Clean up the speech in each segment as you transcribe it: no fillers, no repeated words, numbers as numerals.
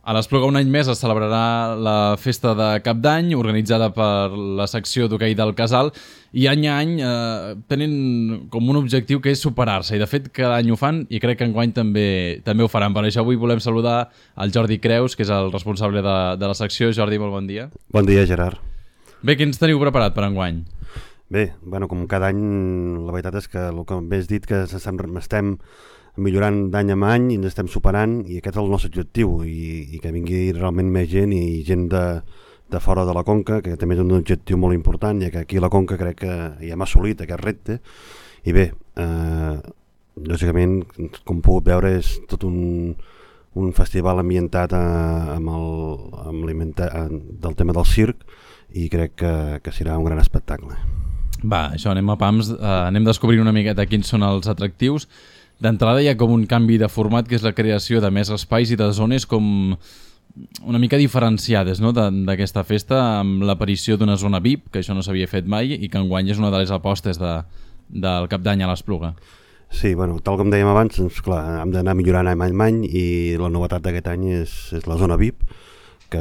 A l'Espluga un any més es celebrarà la festa de Cap d'Any, organitzada per la secció d'hoquei del Casal, i any a any tenen com un objectiu que és superar-se, i de fet cada any ho fan i crec que enguany també ho faran. Per això avui volem saludar el Jordi Creus, que és el responsable de la secció. Jordi, molt bon dia. Bon dia, Gerard. Bé, què ens teniu preparat per enguany? Bé, com cada any, la veritat és que el que bé has dit, que estem millorant d'any en any i ens estem superant, i aquest és el nostre objectiu, i que vingui realment més gent, i gent de fora de la Conca, que també és un objectiu molt important, ja que aquí a la Conca crec que ja hem assolit aquest repte. I bé, lògicament, com heu pogut veure, és tot un festival ambientat del tema del circ, i crec que serà un gran espectacle. Va, això, anem a pams, anem descobrint una miqueta quins són els atractius. D'entrada hi ha com un canvi de format, que és la creació de més espais i de zones com una mica diferenciades, no?, d'aquesta festa, amb l'aparició d'una zona VIP, que això no s'havia fet mai, i que enguany és una de les apostes del Cap d'Any a l'Espluga. Sí, tal com dèiem abans, doncs, clar, hem d'anar millorant any a any, i la novetat d'aquest any és la zona VIP, que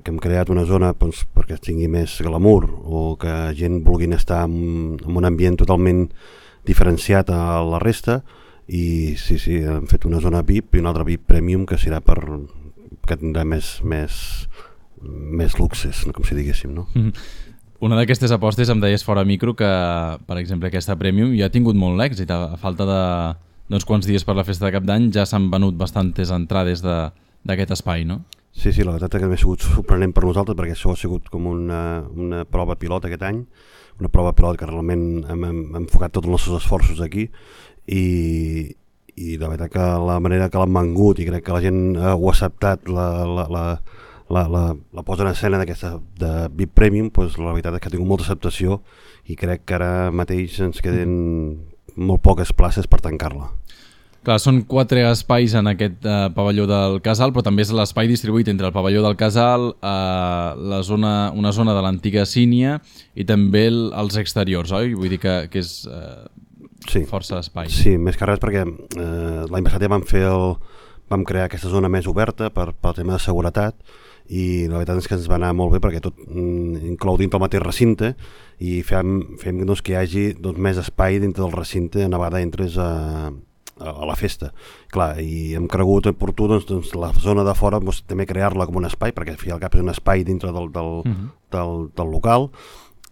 hem creat una zona perquè tingui més glamour, o que gent vulgui estar en un ambient totalment diferenciat a la resta. I sí, hem fet una zona VIP i una altra VIP Premium, que serà que tindrà més luxes, com si diguéssim, no? Una d'aquestes apostes, em deies fora micro, que per exemple aquesta Premium ja ha tingut molt èxit. A falta d'uns quants dies per la festa de Cap d'Any ja s'han venut bastantes entrades d'aquest espai, no? Sí, la veritat que ha sigut sorprenent per nosaltres, perquè això ha sigut com una prova pilot aquest any, una prova pilot que realment hem enfocat tots els nostres esforços aquí, i la veritat que la manera que l'han vengut, i crec que la gent ho ha acceptat, la posa en escena de VIP Premium, doncs la veritat és que ha tingut molta acceptació, i crec que ara mateix ens queden molt poques places per tancar-la. Clar, són 4 espais en aquest pavelló del Casal, però també és l'espai distribuït entre el pavelló del Casal, una zona de l'antiga Sínia, i també els exteriors, oi? Vull dir que és força espai. Sí, més que res perquè l'any passat ja vam crear aquesta zona més oberta pel tema de seguretat, i la veritat és que ens va anar molt bé, perquè tot inclou dintre el mateix recinte, i fem que hi hagi més espai dintre del recinte a vegada entres a la festa. Clar, i hem cregut oportú la zona de fora també crear-la com un espai, perquè al fi i al cap és un espai dintre del local,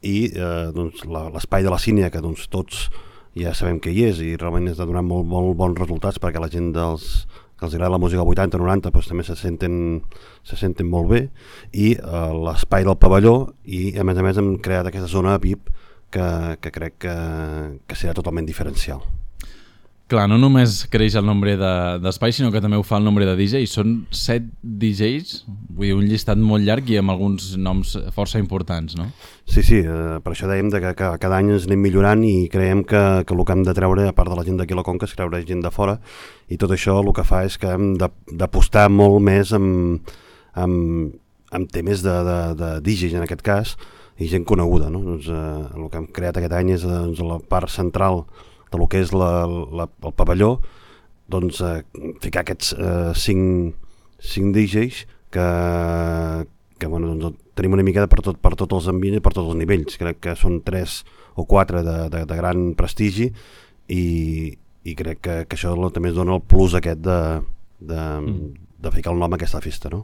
i l'espai de la Sínia, que tots ja sabem que hi és, i realment està donant molt bons resultats, perquè la gent que els agrada la música 80-90 també se senten molt bé, i l'espai del pavelló, i a més hem creat aquesta zona VIP que crec que serà totalment diferencial. Clar, no només creix el nombre d'espais, sinó que també ho fa el nombre de DJs. Són 7 DJs, vull dir, un llistat molt llarg i amb alguns noms força importants, no? Sí, per això dèiem que cada any ens anem millorant, i creiem que el que hem de treure, a part de la gent d'aquí a la Conca, és treure gent de fora, i tot això el que fa és que hem d'apostar molt més amb temes de DJs, en aquest cas, i gent coneguda, no? El que hem creat aquest any és la part central del que és el pavelló, ficar aquests 5 DJs que tenim una mica per tots els ambients i per tots els nivells. Crec que són 3 o 4 de gran prestigi, i crec que això també es dona el plus aquest de ficar el nom a aquesta festa, no?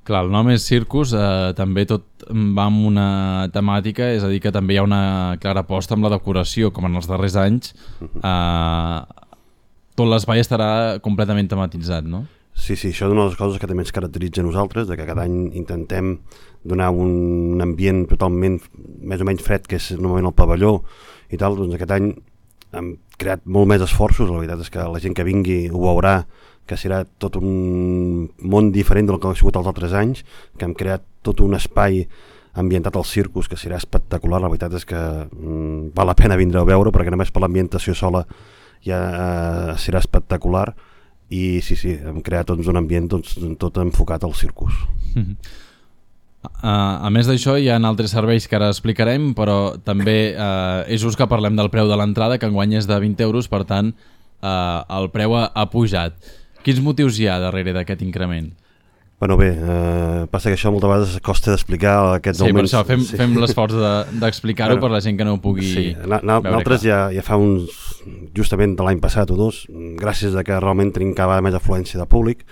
Clar, el nom és Circus, també tot va amb una temàtica, és a dir, que també hi ha una clara aposta amb la decoració, com en els darrers anys. Tot l'espai estarà completament tematitzat, no? Sí, això és una de les coses que també ens caracteritza a nosaltres, que cada any intentem donar un ambient totalment més o menys fred, que és normalment el pavelló i tal. Doncs aquest any hem creat molt més esforços, la veritat és que la gent que vingui ho veurà, que serà tot un món diferent del que ha sigut els altres anys, que hem creat tot un espai ambientat al Circus, que serà espectacular. La veritat és que val la pena vindre a veure, perquè només per l'ambientació sola ja serà espectacular, i sí, hem creat un ambient tot enfocat al Circus. A més d'això, hi ha altres serveis que ara explicarem, però també és just que parlem del preu de l'entrada, que enguany és de 20 euros, per tant el preu ha pujat. Quins motius hi ha darrere d'aquest increment? Bueno, bé, passa que això moltes vegades costa d'explicar aquests augments. Sí, per això fem l'esforç d'explicar-ho per la gent que no ho pugui veure. Nosaltres ja fa justament de l'any passat o dos, gràcies a que realment tenim cada vegada més afluència de públic,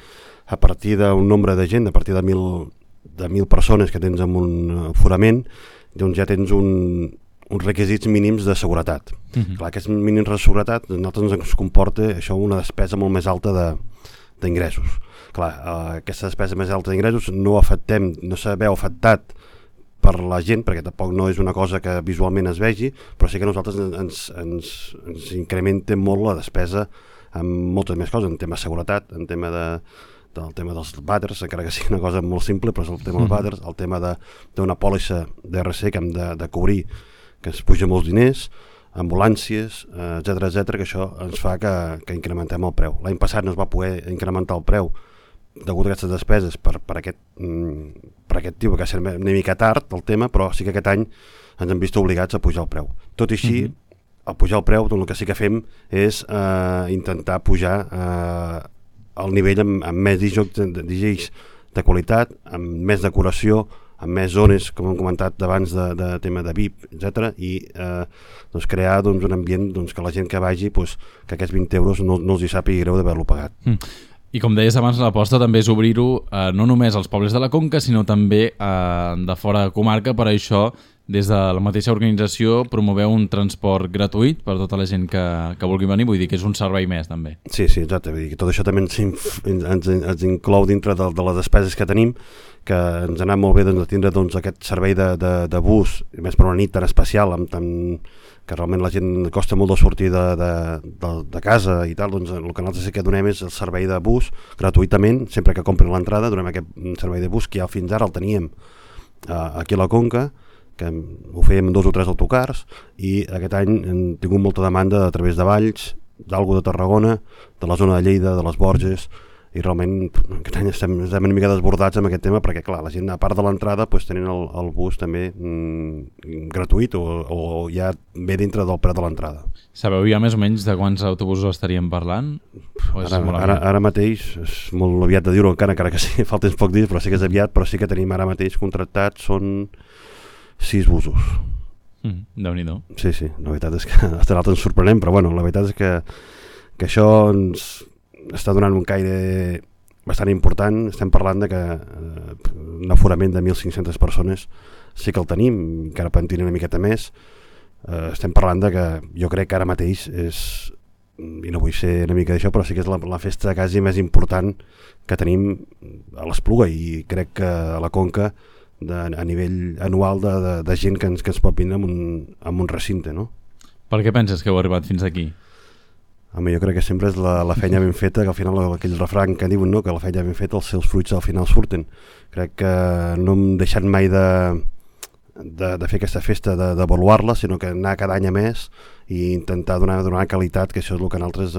a partir d'un nombre de gent, a partir de 1.000 persones que tens en un aforament, doncs ja tens uns requisits mínims de seguretat. Clar, aquests mínims de seguretat a nosaltres ens comporta això una despesa molt més alta d'ingressos. Clar, aquesta despesa més alta d'ingressos no s'ha veu afectat per la gent, perquè tampoc no és una cosa que visualment es vegi, però sí que nosaltres ens incrementa molt la despesa en moltes més coses, en tema de seguretat, en tema del tema dels vàters, encara que sigui una cosa molt simple, però és el tema dels vàters, el tema d'una pòlissa d'RC que hem de cobrir, que es puja molts diners, ambulàncies, etc, que això ens fa que incrementem el preu. L'any passat no es va poder incrementar el preu degut a aquestes despeses per aquest tipus, que va ser una mica tard el tema, però sí que aquest any ens hem vist obligats a pujar el preu. Tot i així, al pujar el preu, el que sí que fem és intentar pujar el nivell amb més DJs de qualitat, amb més decoració, amb més zones, com hem comentat abans, de tema de VIP, etc. I crear un ambient que la gent que vagi, que aquests 20 euros no els hi sàpiga greu d'haver-lo pagat. I com deies abans, l'aposta també és obrir-ho no només als pobles de la Conca, sinó també de fora de comarca. Per això, des de la mateixa organització, promoveu un transport gratuït per tota la gent que vulgui venir. Vull dir que és un servei més, també. Sí, exacte. Vull dir que tot això també ens inclou dintre de les despeses que tenim, que ens ha anat molt bé de tindre aquest servei de bus, més per una nit tan especial, que realment la gent costa molt de sortir de casa i tal, doncs el que nosaltres sí que donem és el servei de bus gratuïtament, sempre que compren l'entrada donem aquest servei de bus que ja fins ara el teníem aquí a la Conca, que ho fèiem 2 o 3 autocars, i aquest any hem tingut molta demanda a través de Valls, d'Algo de Tarragona, de la zona de Lleida, de les Borges, i realment aquest any estem una mica desbordats amb aquest tema, perquè clar, la gent a part de l'entrada tenen el bus també gratuït o ja ve dintre del preu de l'entrada. Sabeu ja més o menys de quants autobusos estaríem parlant? Ara mateix és molt aviat de dir-ho, encara que sí, falten pocs dies, però sí que és aviat, però sí que tenim ara mateix contractats, són 6 busos. Déu-n'hi-do. Sí, la veritat és que hasta l'altre ens sorprenem, però bueno, la veritat és que això ens està donant un caire bastant important. Estem parlant de que un aforament de 1.500 persones sí que el tenim, encara pentina una miqueta més. Estem parlant de que jo crec que ara mateix és, i no vull ser una mica d'això, però sí que és la festa quasi més important que tenim a l'Espluga, i crec que a la Conca a nivell anual de gent que ens pot vindre amb un recinte, no? Per què penses que heu arribat fins aquí? Home, jo crec que sempre és la feina ben feta, que al final aquell refrany que diuen, no? Que la feina ben feta, els seus fruits al final surten. Crec que no hem deixat mai de fer aquesta festa, d'avaluar-la, sinó que anar cada any a més i intentar donar qualitat, que això és el que nosaltres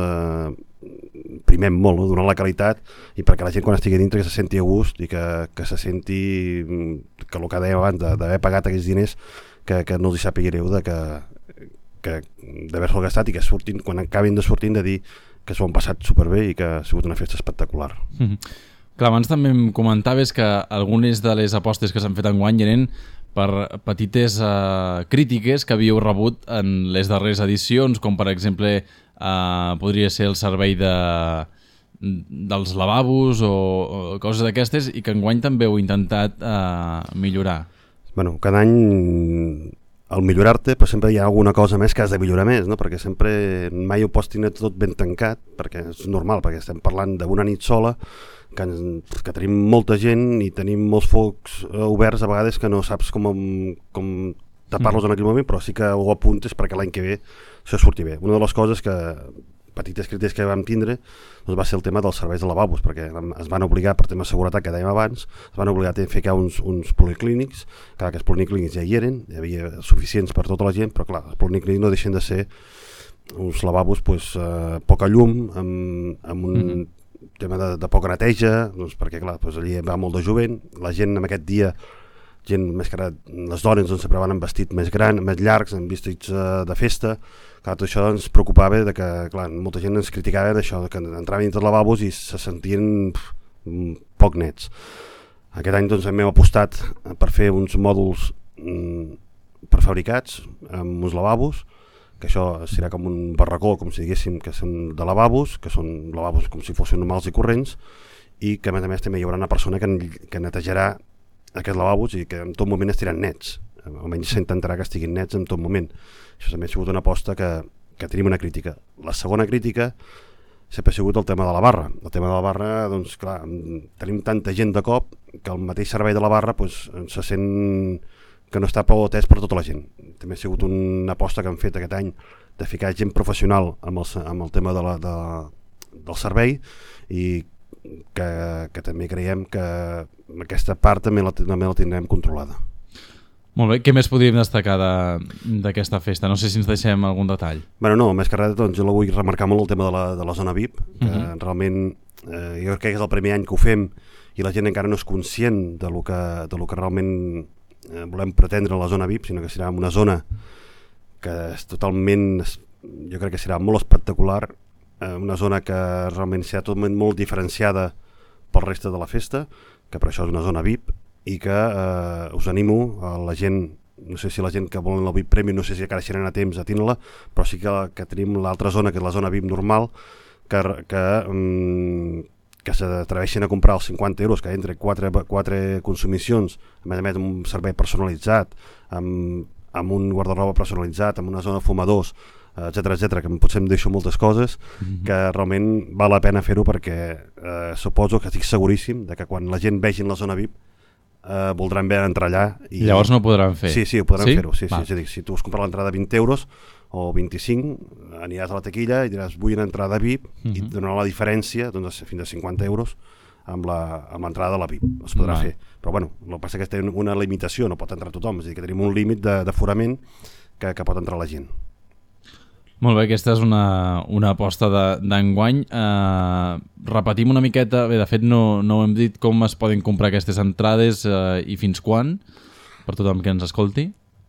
primem molt, no? Donar la qualitat, i perquè la gent quan estigui dintre que se senti a gust i que se senti que el que dèiem abans d'haver pagat aquests diners, que no els hi sàpiga greu d'haver-se'l gastat, i que surtin, quan acabin de sortir, de dir que s'ho han passat superbé i que ha sigut una festa espectacular. Clar, abans també em comentaves que algunes de les apostes que s'han fet enguany eren per petites crítiques que havíeu rebut en les darreres edicions, com per exemple podria ser el servei dels lavabos o coses d'aquestes, i que enguany també heu intentat millorar. Bueno, cada any al millorar-te, però sempre hi ha alguna cosa més que has de millorar més, no? Perquè sempre mai ho pots tenir tot ben tancat, perquè és normal, perquè estem parlant d'una nit sola, que tenim molta gent i tenim molts focs oberts a vegades que no saps com tapar-los en aquell moment, però sí que ho apuntes perquè l'any que ve això surti bé. Una de les coses petites crítiques que vam tindre, doncs va ser el tema dels serveis de lavabos, perquè es van obligar, per tema de seguretat que dèiem abans, es van obligar a ficar uns policlínics, que aquests policlínics ja hi eren, hi havia suficients per tota la gent, però clar, els policlínics no deixen de ser uns lavabos poca llum, amb un tema de poca neteja, doncs perquè clar, allí va molt de jovent, la gent en aquest dia, gent més que les dones sempre van amb vestit més gran, més llargs, amb vestits de festa. Clar, tot això ens preocupava de que, clar, molta gent ens criticava d'això, que entraven dintre els lavabos i se sentien poc nets. Aquest any doncs, hem apostat per fer uns mòduls prefabricats amb uns lavabos, que això serà com un barracó, com si diguéssim, que són de lavabos, que són lavabos com si fossin normals i corrents, i que a més també hi haurà una persona que netejarà aquests lavabos i que en tot moment estiran nets. Almenys s'intentarà que estiguin nets en tot moment. Això també ha sigut una aposta que tenim una crítica. La segona crítica sempre ha sigut el tema de la barra. El tema de la barra, doncs clar, tenim tanta gent de cop que el mateix servei de la barra doncs, se sent que no està prou atès per tota la gent. També ha sigut una aposta que han fet aquest any de ficar gent professional amb el tema del servei i que també creiem que aquesta part també la tindrem controlada. Molt bé, què més podríem destacar d'aquesta festa? No sé si ens deixem algun detall. Bueno, no, més que res, doncs, jo la vull remarcar molt el tema de la zona VIP, que realment jo crec que és el primer any que ho fem i la gent encara no és conscient de lo que realment volem pretendre a la zona VIP, sinó que serà una zona que és totalment, jo crec que serà molt espectacular, una zona que realment serà totalment molt diferenciada pel reste de la festa, que per això és una zona VIP, i que us animo a la gent, no sé si la gent que volen el VIP Premium, no sé si encara serà a temps a tenir-la, però sí que tenim l'altra zona, que és la zona VIP normal, que s'atreveixen a comprar els 50 euros, que entre 4 consumicions, a més amb un servei personalitzat, amb un guarda-roba personalitzat, amb una zona de fumadors, etcètera, que potser em deixo moltes coses, que realment val la pena fer-ho perquè suposo que estic seguríssim de que quan la gent vegi la zona VIP voldran bé entrar allà. I llavors no ho podran fer? Sí, ho podran fer-ho. Sí. És a dir, si tu has comprat l'entrada de 20 euros o 25, aniràs a la taquilla i diràs vull una entrada VIP i et donarà la diferència doncs, fins a 50 euros amb l'entrada de la VIP. Es podrà fer. Però bueno, el que passa és que té una limitació, no pot entrar tothom, és a dir, que tenim un límit d'aforament que pot entrar la gent. Molt bé, aquesta és una aposta d'enguany. Repetim una miqueta, bé, de fet no hem dit com es poden comprar aquestes entrades i fins quan, per tothom que ens escolti.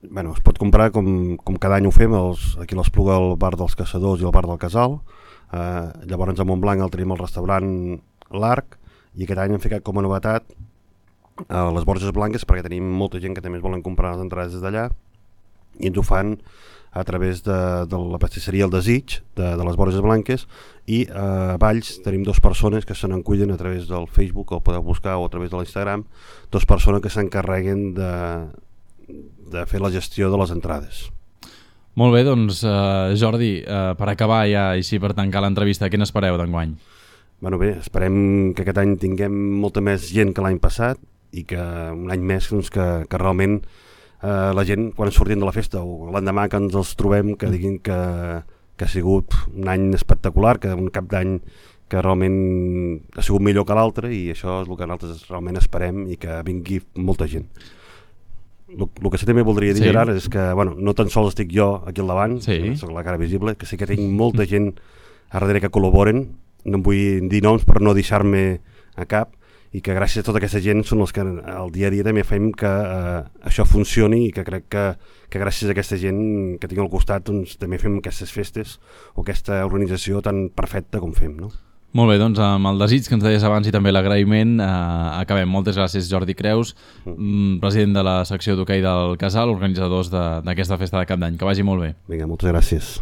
Bueno, es pot comprar com cada any ho fem, aquí a l'Espluga, al bar dels Caçadors i al bar del Casal. Llavors a Montblanc tenim el restaurant L'Arc i aquest any hem ficat com a novetat a les Borges Blanques, perquè tenim molta gent que també es volen comprar les entrades des d'allà i ens ho fan a través de la pastisseria El Desig de les Borges Blanques, i a Valls tenim 2 persones que se n'encullen a través del Facebook, el podeu buscar, o a través de l'Instagram, 2 persones que s'encarreguen de fer la gestió de les entrades. Molt bé, doncs Jordi, per acabar ja, així per tancar l'entrevista, què n'espereu d'enguany? Bueno, bé, esperem que aquest any tinguem molta més gent que l'any passat i que un any més doncs, que realment la gent, quan sortim de la festa o l'endemà que ens els trobem, que diguin que ha sigut un any espectacular, que un cap d'any que realment ha sigut millor que l'altre, i això és el que nosaltres realment esperem i que vingui molta gent. El que sí també voldria dir, Gerard, és que no tan sols estic jo aquí al davant, soc la cara visible, que sí que tinc molta gent a darrere que col·laboren, no em vull dir noms per no deixar-me a cap, i que gràcies a tota aquesta gent són els que al dia a dia també fem que això funcioni, i que crec que gràcies a aquesta gent que tinc al costat doncs, també fem aquestes festes o aquesta organització tan perfecta com fem, no? Molt bé, doncs amb el desig que ens deies abans i també l'agraïment acabem. Moltes gràcies, Jordi Creus, president de la secció d'hoquei del Casal, organitzadors d'aquesta festa de Cap d'Any. Que vagi molt bé. Vinga, moltes gràcies.